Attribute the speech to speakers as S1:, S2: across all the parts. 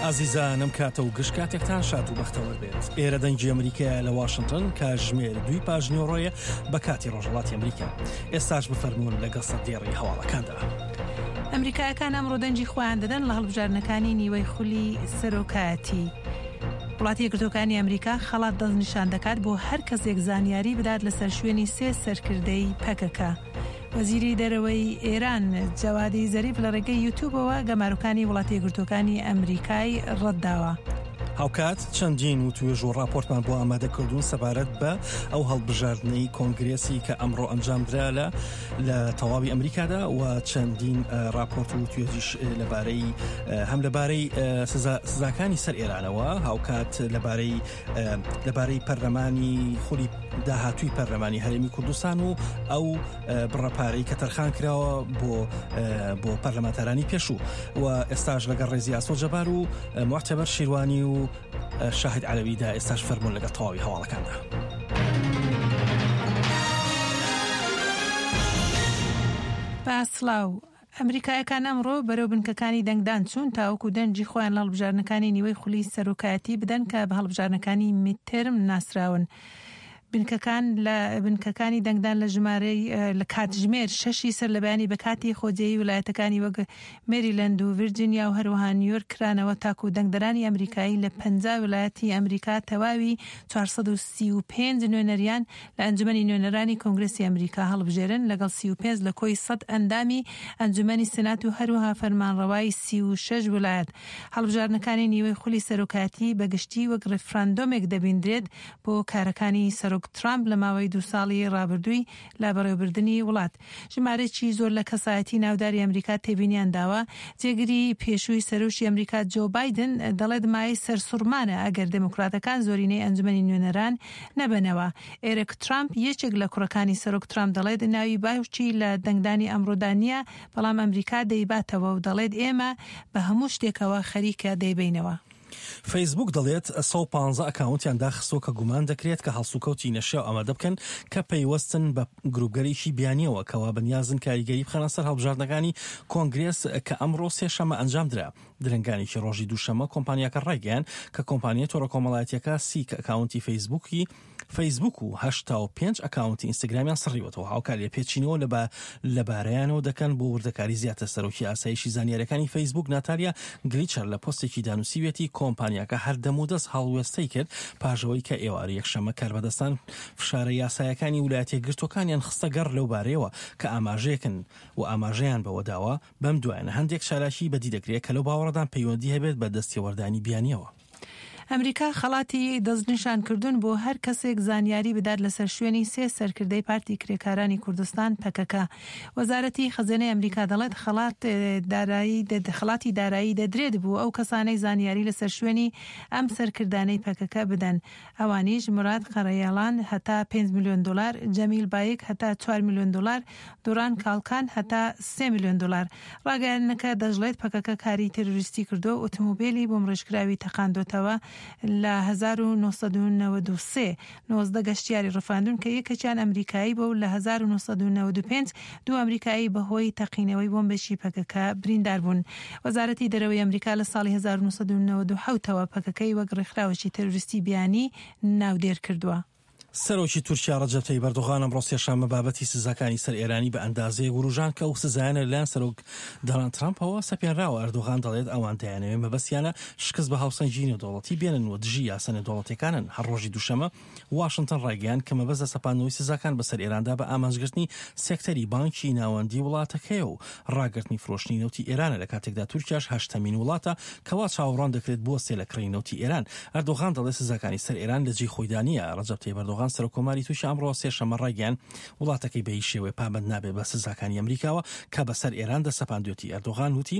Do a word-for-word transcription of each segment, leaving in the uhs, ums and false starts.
S1: ئازیزانم کاتە و گشت کاتێکتان شاد و بەختەوەر بێت. ئێرە دەنگی ئەمریکایە لە واشنگتن، کاتژمێر دووی پاش نیوەڕۆیە بە کاتی ڕۆژهەڵاتی ئەمریکا. ئێستاش بفەرموون لەگەڵ سەردێڕی هەواڵەکاندا.
S2: ئەمریکایەکان ئەمڕۆ دەنگی خۆیان دەدەن لە هەڵبژاردنەکانی نیوەی خولی سەرۆکایەتی. وڵاتی یەکگرتووەکانی ئەمریکا خەڵات دەستنیشان دەکات بۆ هەر کەسێک زانیاری بدات لەسەر شوێنی سێ سەرکردەی پەکەکە. وەزیری دەرەوەی ئێران جەوادی زەریف لە ڕێگەی یوتیوبەوە گەمارۆکانی وڵاتی یەکگرتووەکانی ئەمریکای ڕەتداوە.
S1: هاوکات چەندین وتوێژ و ڕاپۆرتمان بۆ ئامادە کردوون سەبارەت بە ئەو هەڵبژاردنەی کۆنگرێسی کە ئەمڕۆ ئەنجامدرا لە لە تەواوی ئەمریکادا و چەندین ڕاپۆرت و توێژیش لەبارەی هەم لەبارەی سزاکانی سەر ئێرانەوە، هاوکات لەبارەی لەبارەی پەرلەمانی خولی داهاتووی پەرلەمانی هەرێمی کوردستان و ئەو بڕە پارەی کە تەرخان کراوە بۆ بۆ پەرلەمانتارانی پێشوو. و ئێستاش لەگەڵ ڕێزی ئاسۆ جەبار و معتەبەر شیروانی و شاهد عەلەویدا ئێستاش فەرمونون لەگەڵ تەواوی هەواڵەکاندا.
S2: با سڵاو. ئەمریکایەکان ئەمڕۆ بەرەو بنکەکانی دەنگدان چوون تاوەکو دەنگی خۆیان لە هەڵبژاردنەکانی نیوەی خولی سەرۆکایەتی بدەن کە بە هەڵبژاردنەکانی midterm ناسراون. بنکەکان لە بنکەکانی دەنگدان لە ژمارەی لە کاتژمێر شەشی سەر لە بەیانی بە کاتی خۆجێی ویلایەتەکانی وەک مێریلەند و ڤیرجینیا و هەروەها نیویۆرک کرانەوە تاکو دەنگدەرانی ئەمریکایی لە پەنجا ویلایەتی ئەمریکا تەواوی چوار سەد و سی و پێنج نوێنەریان لە ئەنجومەنی نوێنەرانی کۆنگرسی ئەمریکا هەڵبژێرن لەگەڵ سی و پێنج لە کۆی سەد ئەندامی ئەنجومەنی سنات و هەروەها فەرمانڕەوای سی و شەش ویلایەت. هەڵبژاردنەکانی نیوەی خولی سەرۆکایەتی بەگشتی وەک ڕیفراندۆمێک دەبیندرێت بۆ کارەکانی سەرۆک ترامپ لە ماوەی دوو ساڵی ڕابردووی لە بەڕێوەبردنی وڵات. ژمارەیەکی زۆر لە کەسایەتی ناوداری ئەمریکا تێبینیان داوە. جێگری پێشووی سەرۆکی ئەمریکا جۆ بایدن دەڵێت مایەی سەرسوڕمانە ئەگەر دێموکراتەکان زۆرینەی ئەنجومەنی نوێنەران نەبەنەوە. ئێرک ترامپ یەکێک لە کوڕەکانی سەرۆک ترامپ دەڵێت ناوی باوکی لە دەنگدانی ئەمڕۆدا نییە، بەڵام ئەمریکا دەیباتەوە و دەڵێت ئێمە بە هەموو شتێکەوە خەریکە دەیبەینەوە.
S1: فەیسبوک دەڵێت سەد و پانزە ئەکاونتیان داخستووە کە گومان دەکرێت کە هەڵسوکەوتی نەشیاو ئامادە بکەن کە پەیوەستن بە گروپگەرێکی بیانیەوە کەوا بەنیازن کاریگەری بخەنە سەر هەڵبژاردنەکانی کۆنگرێس کە ئەمڕۆ سێشەمە ئەنجام درا. درەنگانێکی ڕۆژی دووشەمە کۆمپانیاکە ڕایگەیان کە کۆمپانیای تۆڕە کۆمەڵایەتیەکە سی ئەکاونتی فەیسبوکی فەیسبوک و هەشتا و پێنج ئەکاونتی ئینستاگرامیان سڕیوەتەوە. هاوکات لێپێچینەوە لەبارەیانەوە دەکەن بۆ وردەکاری زیاتر. سەرۆکی ئاسایشی زانیاریەکانی فەیسبوک ناتالیا گلیچەر لە پۆستێکی دانووسیوێتی کۆمپانیاکە هەر دەمودەست هەڵوێستەی کرد پاژەوەی کە ئێوارە یەکشەممە کاربەدەستان فشارە یاسایەکانی ویلایەتە یەکگرتووەکانیان خستە گەڕ لەو بارەیەوە کە ئاماژەیەکن و ئاماژەیان بەوەداوە بەم دوایانە هەندێک چالاکی بەدی دەکرێت کە لەو باوەڕدان پەیوەندی هەبێت بە دەستێوەردانی بیانیەوە.
S2: ئەمریکا خەڵاتی دەستنیشانکردن بۆ هەر کەسێک زانیاری بدات لەسەر شوێنی سێ سەرکردەی پارتی کرێکارانی کوردستان پەکەکە. وەزارەتی خەزێنەی ئەمریکا دەڵێت خەڵاتی دارایی دەدرێت بوو ئەو کەسانەی زانیاری لەسەر شوێنی ئەم سەرکردانەی پەکەکە بدەن. ئەوانیش مراد قەرەیاڵان هەتا پێنج ملیۆن دلار، جەمیل بایک هەتا چوار ملیۆن دلار، دوران کاڵکان هەتا سێ ملیۆن دلار. ڕاگەیاندنەکە دەشڵێت پەکەکە کاری تێرۆریستی کردو ئۆتۆمۆبیلی بۆمڕێژکراوی تەقاندۆتەوە لە هەزار و نۆ سەد و نەوەد و سێ نۆزدە گەشتیاری ڕفاندون کە یەکێکیان ئەمریکایی بوو. لە هەزار و نۆ سەد و نەوەد و پێنج دوو ئەمریکایی بەهۆی تەقینەوەی بۆمبێکی پەکەکە بریندار بوون. وەزارەتی دەرەوەی ئەمریکا لە ساڵی هەزار و نۆ سەد و نەوەد و حەوتەوە پەکەکەی وەک ڕێکخراوێکی تێرۆریستی بیانی ناودێر کردووە.
S1: سەرۆکی تورکیا ڕەجەب تەیب ئەردۆغان ئەمڕۆ سێشەممە بابەتی سزاکانی سەر ئێرانی بە ئەندازەیەک وروژان کە ئەو سزایانە لەلایەن سەرۆک دۆناڵد ترامپەوە سەپێنراوە. ئەردۆغان دەڵێت ئەوان دەیانەوێت مەبەستیانە شکست بە هاوسەنگی نێودەوڵەتی بێنن و دژی یاسا نێودەوڵەتیەکانن. هەر ڕۆژی دووشەممە واشنگتن ڕایگەیاند کە مەبەست لە سەپاندنەوەی سزاکان بەسەر ئێراندا بە ئامانجگرتنی سێکتەری بانکی ناوەندی وڵاتەکەیە و ڕاگرتنی فرۆشتنی نەوتی ئێرانە، لە کاتێکدا تورکیاش هەشتەمین وڵاتە کەوا چاوەڕوان دەکرێت بوەستێ لە کڕینی نەوتی ئێران. ئەردۆغان دەڵێت سزاکانی سەر ئێران لە جێی خۆیدا نییە. ڕەجەب تەیب ئەردۆغان سەرۆک کۆماری تورکیا ئەمڕۆ سێشەممە ڕایگەیاند وڵاتەکەی بە هیچ شێوەیە پابەند نابێت بە سزاکانی ئەمریکاوە کە بەسەر ئێران دەسەپاندوێتی. ئەردۆغان وتی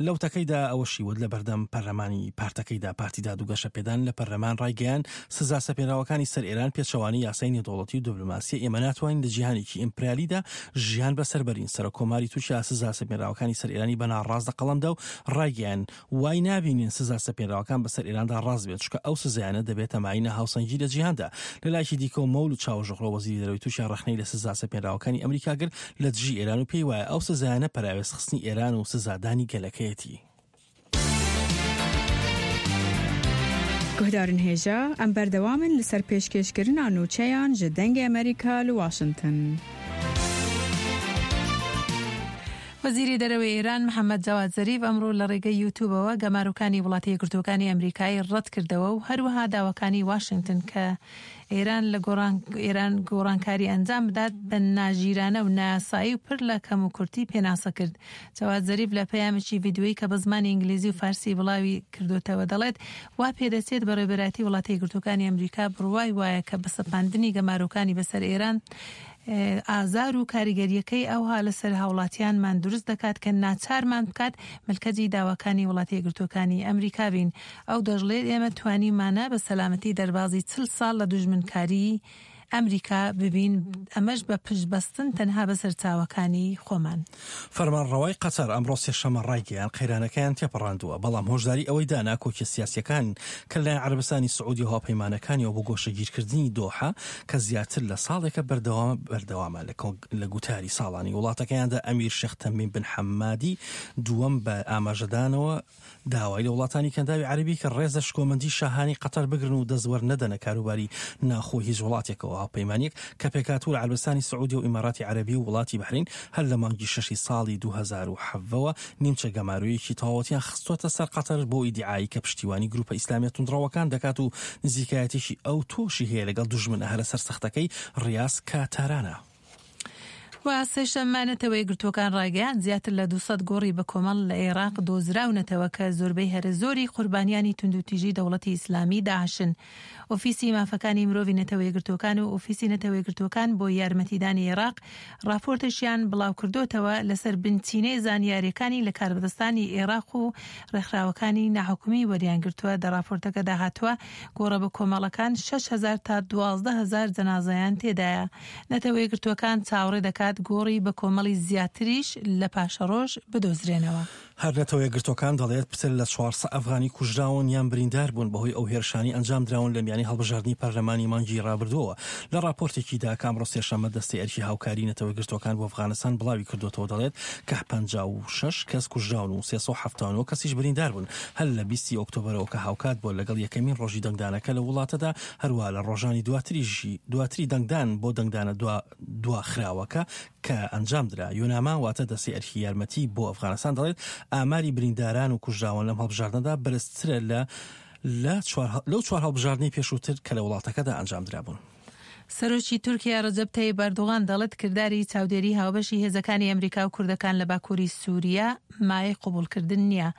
S1: لەو تەکەیدا ئەوەشی وت لە بەردەم پەرلەمانی پارتەکەیدا پارتی داد و گەشەپێدان لە پەرلەمان ڕایگەیاند سزا سەپێنراوەکانی سەر ئێران پێچەوانەی یاسای نێودەوڵەتی و دیبلۆماسیە. ئێمە ناتوانین لە جیهانێکی ئیمپریالیدا ژیان بەسەر بەرین. سەرۆک کۆماری تورکیا سزا سەپێنراوەکانی سەر ئێرانی بە ناڕاست لە قەڵەمدا و ڕایگەیاند وای نابینین سزا سەپێنراوەکان بەسەر ئێراندا ڕاست بێت، چونکە ئەو سزایانە دەبێتە مایەی ناهاوسەنگی لە جیهاندا. لەلایەکی دیکە مەولود چاوشئۆغلۆ وەزیری دەرەوەی تورکیا ڕەخنەی لە سزا سەپێنراوەکانی ئەمریکا گرت لە دژی ئێران و پێی وایە ئەو سزایانە پەراوێزخستنی ئێران و سزادانی گەلەکەیەتی.
S3: Guhdarên hêja em berdewam in li ser pêşkêşkirina nûçeyan ji Dengê Amerîka li Washington.
S2: وەزیری دەرەوەی ئێران محەممەد جەواد زەریف ئەمڕۆ لە ڕێگەی یوتیوبەوە گەمارۆکانی وڵاتە یەکگرتووەکانی ئەمریکای ڕەت کردەوە و هەروەها داواکانی واشنگتن کە ئێران لە ئێران گۆڕانکاری ئەنجام بدات بە ناژیرانە و نایاسایی و پر لە کەم و کورتی پێناسە کرد. جەواد زەریف لە پەیامێکی ڤیدیۆیی کە بە زمانی ئینگلیزی و فارسی بڵاوی کردوتەوە دەڵێت وا پێدەچێت بەڕێوەبەرایەتی وڵاتە یەکگرتووەکانی ئەمریکا بڕوای وایە کە بە سەپاندنی گەمارۆکانی بەسەر ئێران ئازار و کاریگەریەکەی ئەوها لەسەر هاوڵاتیانمان دروست دەکات کە ناچارمان بکات ملکەجی داواکانی وڵاتە یەکگرتووەکانی ئەمریکا بین. ئەو دەشڵێت ئێمە توانیمانە بە سەلامەتی دەربازی چل ساڵ لە دوژمنکاری ئەمریکا ببین، ئەمەش بە پشتبەستن تەنها بە سەرچاوەکانی خۆمان.
S1: فەرمانڕەوای قەتەر ئەمڕۆ سێشەممە ڕایگەیاند قەیرانەکەیان تێپەڕاندووە، بەڵام هۆشداری ئەوەی دا ناکۆکیە سیاسیەکان کە لەلایەن عەرەبستانی سعودی و هاوپەیمانەکانیەوە بۆ گۆشەگیرکردنی دۆحە کە زیاتر لە ساڵێکە بەردەوامە بەردەوامە لە گوتاری ساڵانی وڵاتەکەیاندا ئەمیر شێخ تەمیم بن حەمادی دووەم بە ئاماژەدانەوە داوای لە وڵاتانی کەنداوی عەرەبی کە ڕێز لە شکۆمەندی شاهانی قەتەر بگرن و دەستوەر نەدەنە کاروباری ناخۆی هیچ وڵاتێکەوە. هاوپەیمانیەک کە پێکهاتوو لە عەرەبستانی سعودی و ئیماراتی عەرەبی و وڵاتی بەحرین هەر لە مانگی شەشی ساڵی دوو هەزار و حەڤەوە نیمچە گەمارۆیەکی تەواوەتیان خستووەتە سەر قەتەر بۆ ئیدیعایی کە پشتیوانی گروپە ئیسلامیە توندڕەوەکان دەکات و نزیکایەتێکی ئەو تۆشی هەیە لەگەڵ دوژمنە هەرە سەرسەختەکەی ڕیاز کە تارانە.
S2: و سێشەممە نەتەوە یەکگرتووەکان ڕایگەیاند زیاتر لە دوو سەد گۆڕی بە کۆمەڵ لە عێراق دۆزراونەتەوە کە زۆربەی هەرە زۆری قوربانیانی توندوتیژی دەوڵەتی ئیسلامی داعشن. ئۆفیسی مافەکانی مرۆڤی نەتەوە یەکگرتووەکان و ئۆفیسی نەتەوە یەکگرتووەکان بۆ یارمەتیدانی عێراق راپۆرتێکیان بڵاوکردوتەوە لەسەر بنچینەی زانیاریەکانی لە کاربەدەستانی عێراق و ڕێکخراوەکانی ناحکومی وەریانگرتووە. دە راپۆرتەکەدا هاتووە گۆڕە بە کۆمەڵەکان شەش هەزار تا دوازدە هەزار جەنازەیان تێدایە. نەتەوە یەکگرتووەکان چاوەڕێ دەکات گۆڕی بە کۆمەڵی زیاتریش لە پاشەڕۆژ بدۆزرێنەوە.
S1: هەر نەتەوە یەکگرتووەکان دەڵێت پتر لە چوارسەد ئەفغانی کوژراون یان بریندار بوون بەهۆی ئەو هێرشانی ئەنجام دراون لە میانی هەڵبژاردنی پەرلەمانی مانگی ڕابردووەوە. لە راپۆرتێکیدا کە ئەمڕۆ سێشەممە دەستەی ئەرکی هاوکاری نەتەوە یەکگرتووەکان بۆ ئەفغانستان بڵاوی کردوێتەوە دەڵێت کە پەنجا و شەش کەس کوژراون و سێ سەد و حەفتا و نۆ کەسیش بریندار بوون هەر لە بیستی ئۆکتۆبەرەوە کە هاوکات بووە لەگەڵ یەکەمین ڕۆژی دەنگدانەکە لە وڵاتەدا، هەروە لە ڕۆژانی دواتری دەنگدان بۆ دەنگدانە دواخراوەکە کە ئەنجام درا. یۆناما واتە دەستەی ئەرکی یارمەتی بۆ ئەفغانستان دەڵێت ئاماری برینداران و کوژراوان لەم هەڵبژاردنەدا بەرزترە لە لەو چوار هەڵبژاردنەی پێشووتر کە لە وڵاتەکەدا ئەنجام درابوون.
S2: سەرۆکی تورکیا ڕەجەب تەیب ئەردۆغان دەڵێت کرداری چاودێری هاوبەشی هێزەکانی ئەمریکا و کوردەکان لە باکووری سووریا مایەی قبوڵکردن نییە.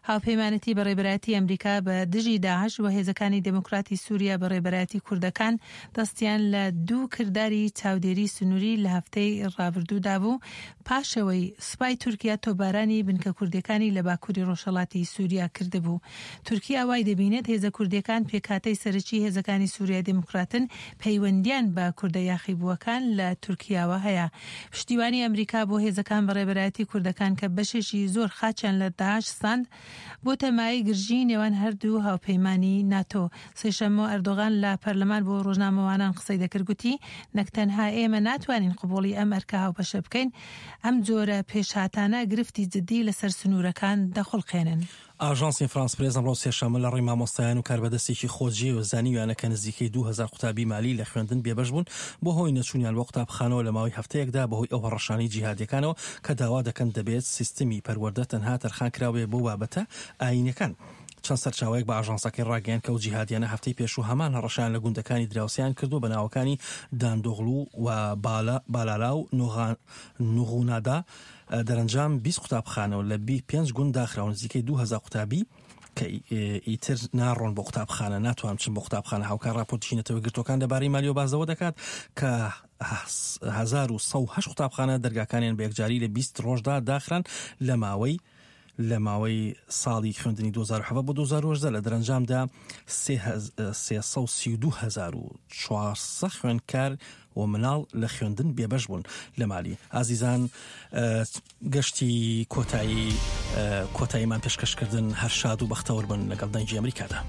S2: هاوپەیمانەتی بەڕێبەرایەتی ئەمریکا بە دژی داعش و هێزەکانی دێموکراتی سووریا بەڕێبەرایەتی کوردەکان دەستیان لە دوو کرداری چاودێری سنووری لە هەفتەی ڕابردوودا بوو پاشەوەی سوپای تورکیا تۆپبارانی بنکە کوردیەکانی لە باکووری ڕۆژهەڵاتی سووریا کردبوو. تورکیا وای دەبینێت هێزە کوردیەکان پێکهاتەی سەرەکی هێزەکانی سووریای دێموکراتن پەیوەندیان بە کوردە یاخیبووەکان لە تورکیاوە هەیە. پشتیوانی ئەمریکا بۆ هێزەکان بەڕێبەرایەتی کوردەکان کە بەشێکی زۆر خاچیان لە داعش ساند بۆ تەمای گرژی نێوان هەردوو هاوپەیمانی ناتۆ. سێشەممە ئەردۆغان لە پەرلەمان بۆ ڕۆژنامەوانان قسەی دەکرد گوتی نەک تەنها ئێمە ناتوانین قبوڵی ئەم ئەرکە هاوبەشە بکەین، ئەم جۆرە پێشهاتانە گرفتی جدی لەسەر سنوورەکان دەخوڵقێنن.
S1: ئاژانسی فرانس پرێس ئەمڕۆ سێشەممە لە ڕێی مامۆستایان و کاربەدەستێکی خۆجێی و زانیویانە کە نزیکەی دوو هەزار قوتابی مالی لە خوێندن بێبەش بوون بۆ هۆی نەچوونیان بۆ قوتابخانەوە لە ماوەی هەفتەیەکدا بەهۆی ئەو هەڕەشانەی جیهادیەکانەوە کە داوا دەکەن دەبێت سیستمی پەروەردە تەنها تەرخان کراوێ بۆ بابەتە ئایینەکان. چەند سەرچاوەیەک بە ئاژانسەکەی ڕاگەیاند کە ئەو جیهادیانە هەفتەی پێشوو هەمان هەڕەشیان لە گوندەکانی دراوسیان کردو بە ناوەکانی داندۆغلو و بالالا و نوغونادا. دەرەنجام بیست قوتابخانەوە لە پێنج گوند داخراون، نزیکەی دوو هەزار قوتابی کە ئیتر ناڕۆن بۆ قوتابخانە، ناتوان بچن بۆ قوتابخانە. هاوکار راپۆرتی نەتەوە یەکگرتووەکان لەبارەی مالیۆ بازەوە دەکات کە هەزار و سەد و هەشت قوتابخانە دەرگاکانیان بە یەکجاری لە بیست ڕۆژدا داخران لە ماوەی لە ماوەی ساڵی خوێندنی دوو هەزار و حەڤدە بۆ دوو هەزار و هەژدە. لە دەرەنجامدا سێ سەد و سی و دوو هەزار و چوار سەد خوێندکار و مناڵ لە خوێندن بێبەش بوون لە مالی. ئازیزان، گەشتی کۆتایی کۆتاییمان پێشکەشکردن هەر شاد و بەختەوەر بن لەگەڵ دەنگی ئەمریکادا.